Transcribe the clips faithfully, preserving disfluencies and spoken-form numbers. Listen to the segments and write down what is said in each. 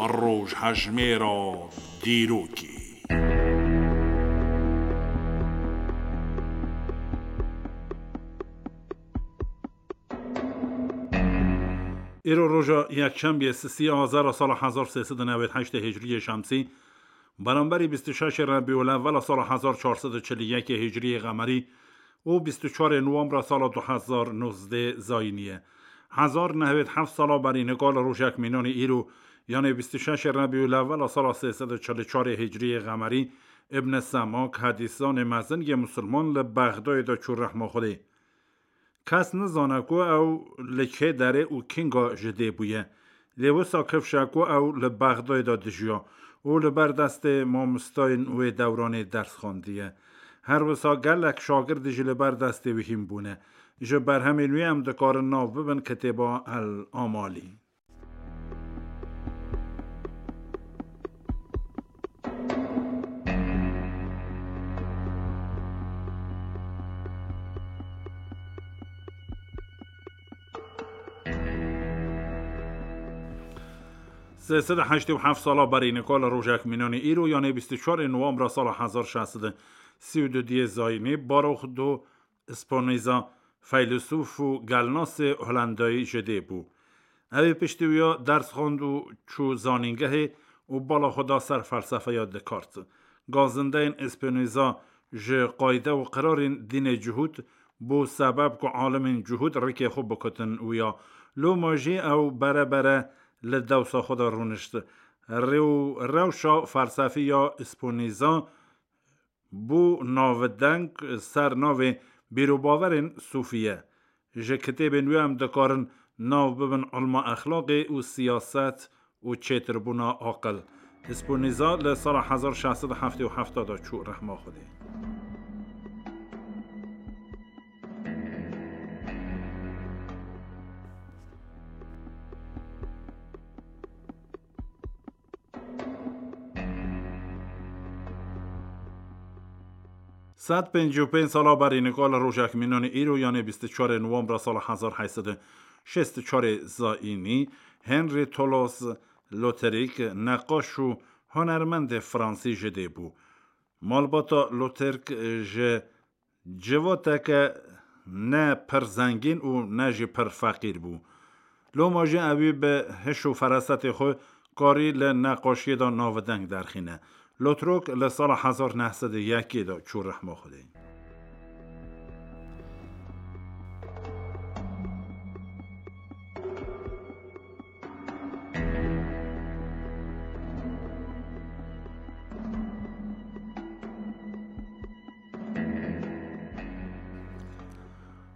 Rojhejmêra dîrokê. Îro roja yekşembiye sisî azara sala hezar sê sed û newêd heştê hicriyê şemsî, beramberî bîst û şeşê Rebîul Ewwela sala hezar çar sed û çil û yekê hicriyê qemerî û bîst û çarê Nowembra sala du hezar nozdeh zayînî ye. Hezar nehwêd heft sala berî nika li rojek mînanî îro, yanê bîst û şeşê Rebîul Ewwela sala sê sed û çil û çarê hicriyê qemerî, Ibn Semak, hedîszanê mezin yê misilman li Bexdayê de çû rehma Xwedê. Kes nizane ku ew li kê derê û kînga ji dê bûye. Lê wisa kifşe ku ew li Bexdayê de dijiya û li ber destê mamostayên wê dewranê ders xwendiye. Her wisa gelek şagirdî jî li ber destê wî hîn bûne. Ji berhemên wî em dikarin nav bibin kitêba El Amalî. Sê sed û heştê û heft sala berî nika li rojek mînanî îro, yanê bîst û çarê Nowembra sala hezar şeş sed û sî û du diyê zayînî, Baruch do Spinoza, feylesûf û gelnasê Holendayî ji dê bû. Ew ê piştî wîya ders xwend û çû zanîngehê û bala xwe da ser felsefeya Descartes. Gazindeyên Spinoza ji qayde û qirarên dînê cihûd bû sebeb ku alimên cihûd rikê xwe bikutin wîya. Loma jî ew bere bere li dewsa xwe de rûnişt. Rê û rewşa felsefî ya Spinoza bû navdeng ser navê bîr û bawerên sûfî ye. Ji kitêbên wî em dikarin nav bibin ilma exlaqê û siyaset û çêtirbûna aqil. Spinoza li sala hezar şeş sed û heftê û heft de çû rehma Xwedê. Sed pêncî û pênc sala berî nika li rojek mînanî îro, yanê bîst û çarê Nowembra sala hezar heyt sed û şêst û çarê zayînî, Henri Toulouse-Lautrec, neqaş û hunermendê fransî ji dê bû. Malbata Lautrec ji civateke ne pir zengîn û ne jî pir feqîr bû. Loma jî ewî bi hiş û ferasetê xwe karî li neqaşiyê de navdeng derxîne. Lautrec li sala hezar neh sed û yekê de çû rehma Xwedê.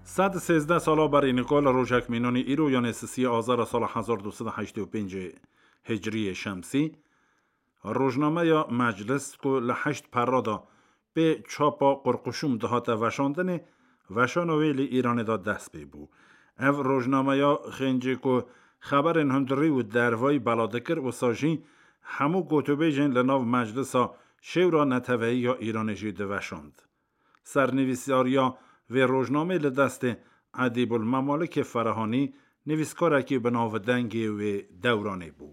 Sed sêzdeh sala berî nika li rojek mînanî îro, yanê sisiyê Azara sala hezar du sed û heştê û pêncê Hicriyê Şemsî, rojnameya Meclis ku li heşt perra de pê çapa Qurquşum dihate veşandinê, veşana wê li Îranê de dest pê bû. Ev rojnameya xêncê ku xeberên hundirî û dervayî bela dikir, wisa jî hemû gotûbêjên li nav Meclisa Şêwra Neteweyî ya Îranê jî diveşand. Sernivîsariya vê rojnamê li destê Edîbul Memalikê Ferahanî, nivîskarekî bi navdengê wê dewranê bû.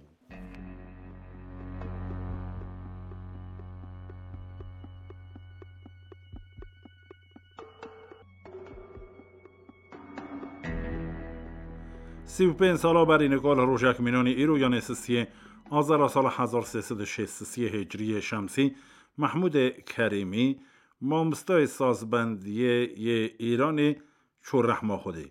Sî û pênc sala berî nika li rojek mînanî îro, yanê sisiyê Azara sala hezar sê sed û şêst sisiyê Hicriyê Şemsî, Mehmûdê Kerîmî, mamostayê sazbendiyê yê Îranê, çû rehma Xwedê.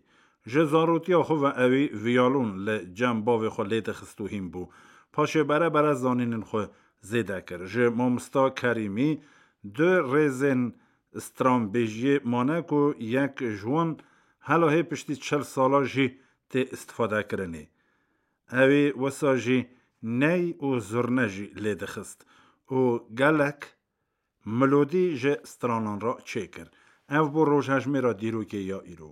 Ji zarotiya xwe ve ewî viyalon li cem bavê xwe lê dixist û hîn bû. Paşê bere bere zanînên xwe zêde kir. Ji mamosta Kerîmî du rêzên stranbêjiyê mane ku yek ji wan hela hê piştî çil sala jî tê îstifadekirinê. Ewî wisa jî ney û zurne jî lê dixist û gelek melodî ji stranan re çêkir. Ev bû rojhejmêra dîrokê ya îro.